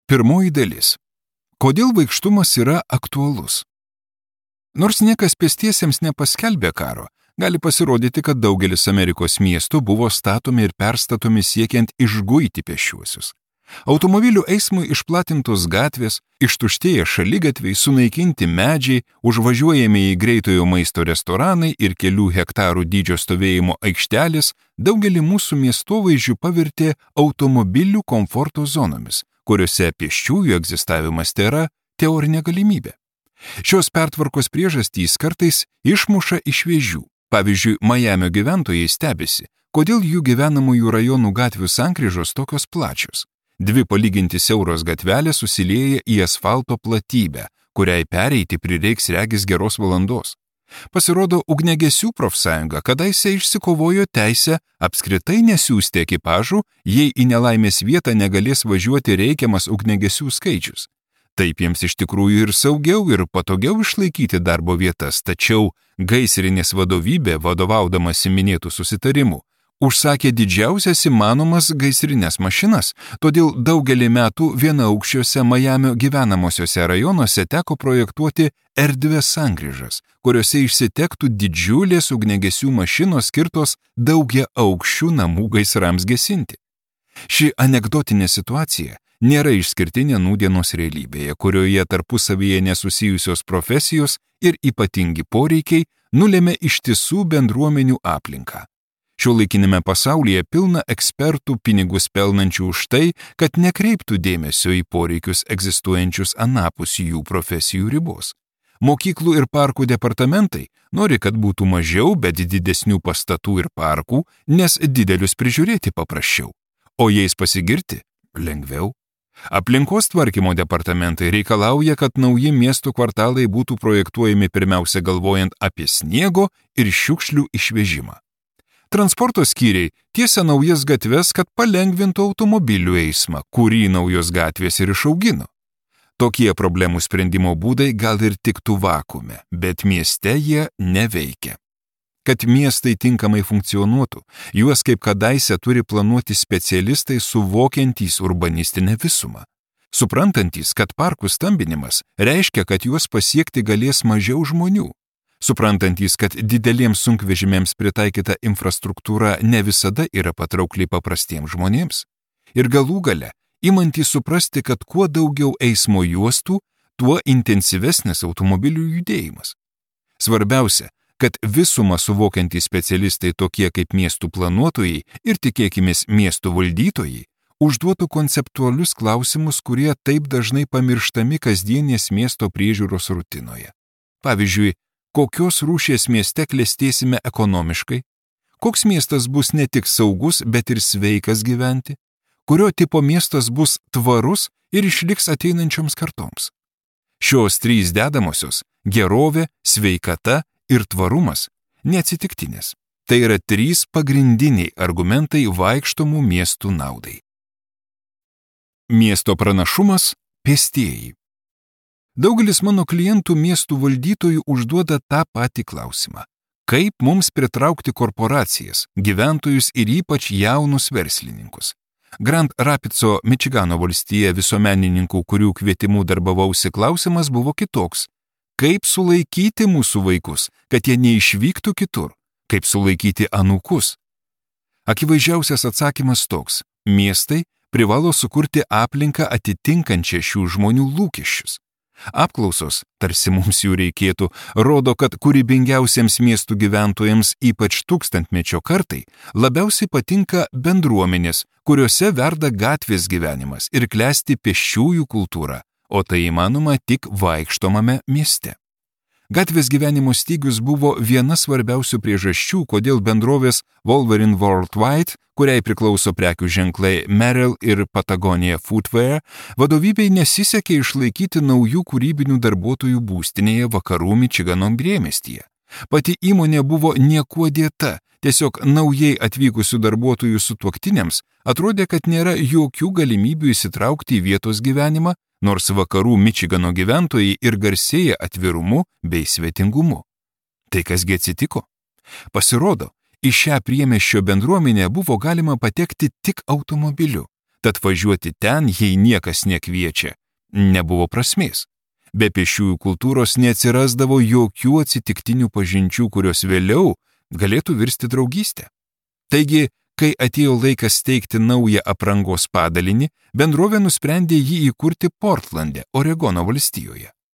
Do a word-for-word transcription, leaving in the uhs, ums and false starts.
Pirmoji dalis. Kodėl vaikštumas yra aktualus? Nors niekas pėstiesiems nepaskelbė karo, gali pasirodyti, kad daugelis Amerikos miestų buvo statomi ir perstatomi siekiant išguiti pėsčiuosius. Automobilių eismui išplatintos gatvės, ištuštėję šaligatviai, sunaikinti medžiai, užvažiuojami į greitojo maisto restoranai ir kelių hektarų dydžio stovėjimo aikštelės daugelį mūsų miestovaizdžių pavertė automobilių komforto zonomis, kuriuose pėsčiųjų egzistavimas tėra teorinė galimybė. Šios pertvarkos priežastys kartais išmuša iš vėžių. Pavyzdžiui, Majamio gyventojai stebisi, kodėl jų gyvenamųjų rajonų gatvių sankryžos tokios plačios. Dvi palyginti siauros gatvelės susilieja į asfalto platybę, kuriai pereiti prireiks regis geros valandos. Pasirodo, ugniagesių profsąjunga kadaise išsikovojo teisę apskritai nesiųsti ekipažų, jei į nelaimės vietą negalės važiuoti reikiamas ugniagesių skaičius. Taip jiems iš tikrųjų ir saugiau ir patogiau išlaikyti darbo vietas, tačiau gaisrinės vadovybė, vadovaudamasi minėtų susitarimų, užsakė didžiausias įmanomas gaisrinės mašinas, todėl daugelį metų vienaaukščiuose Majamio gyvenamosiuose rajonuose teko projektuoti erdvės sankryžas, kuriuose išsitektų didžiulės ugniagesių mašinos skirtos daugia aukščių namų gaisrams gesinti. Ši anekdotinė situacija nėra išskirtinė nūdienos realybėje, kurioje tarpusavyje nesusijusios profesijos ir ypatingi poreikiai nulėmė ištisų bendruomenių aplinką. Šiuolaikinėme pasaulyje pilna ekspertų pinigus pelnančių už tai, kad nekreiptų dėmesio į poreikius egzistuojančius anapus jų profesijų ribos. Mokyklų ir parkų departamentai nori, kad būtų mažiau, bet didesnių pastatų ir parkų, nes didelius prižiūrėti paprasčiau. O jais pasigirti lengviau. Aplinkos tvarkymo departamentai reikalauja, kad nauji miestų kvartalai būtų projektuojami pirmiausia galvojant apie sniego ir šiukšlių išvežimą. Transporto skyriai tiesia naujas gatves, kad palengvintų automobilių eismą, kurį naujos gatvės ir išaugino. Tokie problemų sprendimo būdai gal ir tiktų vakuume, bet mieste jie neveikia. Kad miestai tinkamai funkcionuotų, juos kaip kadaise turi planuoti specialistai suvokiantys urbanistinę visumą. Suprantantys, kad parkų stambinimas reiškia, kad juos pasiekti galės mažiau žmonių. Suprantantys, kad dideliems sunkvežimėms pritaikyta infrastruktūra ne visada yra patraukli paprastiems žmonėms. Ir galų gale, imantys suprasti, kad kuo daugiau eismo juostų, tuo intensyvesnis automobilių judėjimas. Svarbiausia, kad visumą suvokiantys specialistai tokie kaip miestų planuotojai ir tikėkimės miestų valdytojai užduotų konceptualius klausimus, kurie taip dažnai pamirštami kasdienės miesto priežiūros rutinoje. Pavyzdžiui, kokios rūšies mieste klestėsime ekonomiškai, koks miestas bus ne tik saugus, bet ir sveikas gyventi, kurio tipo miestas bus tvarus ir išliks ateinančioms kartoms. Šios trys dedamosios – gerovė, sveikata ir tvarumas – neatsitiktinės. Tai yra trys pagrindiniai argumentai vaikštomų miestų naudai. Miesto pranašumas – pėstieji. Daugelis mano klientų miestų valdytojų užduoda tą patį klausimą. Kaip mums pritraukti korporacijas, gyventojus ir ypač jaunus verslininkus? Grand Rapidso, Mičigano valstija visuomenininkų, kurių kvietimų darbavausi, klausimas buvo kitoks. Kaip sulaikyti mūsų vaikus, kad jie neišvyktų kitur? Kaip sulaikyti anūkus? Akivaizdžiausias atsakymas toks. Miestai privalo sukurti aplinką atitinkančią šių žmonių lūkesčius. Apklausos, tarsi mums jų reikėtų, rodo, kad kūrybingiausiems miestų gyventojams, ypač tūkstantmečio kartai, labiausiai patinka bendruomenės, kuriuose verda gatvės gyvenimas ir klesti pėsčiųjų kultūra, o tai įmanoma tik vaikštomame mieste. Gatvės gyvenimo stygius buvo viena svarbiausių priežasčių, kodėl bendrovės Wolverine Worldwide, kuriai priklauso prekių ženklai Merrell ir Patagonia Footwear, vadovybei nesisekė išlaikyti naujų kūrybinių darbuotojų būstinėje vakarų Mičigano priemiestyje. Pati įmonė buvo niekuo dėta, tiesiog naujai atvykusių darbuotojų sutuoktiniams atrodė, kad nėra jokių galimybių įsitraukti į vietos gyvenimą, nors vakarų Mičigano gyventojai ir garsėja atvirumu bei svetingumu. Tai kasgi atsitiko? Pasirodo, į šią priemiesčio bendruomenę buvo galima patekti tik automobiliu. tad važiuoti ten, jei niekas nekviečia, nebuvo prasmės. Be pėsčiųjų kultūros neatsirasdavo jokių atsitiktinių pažinčių, kurios vėliau galėtų virsti draugystę. Taigi, kai atėjo laikas steigti naują aprangos padalinį, bendrovė nusprendė jį įkurti Portlande, Oregono valstijoje.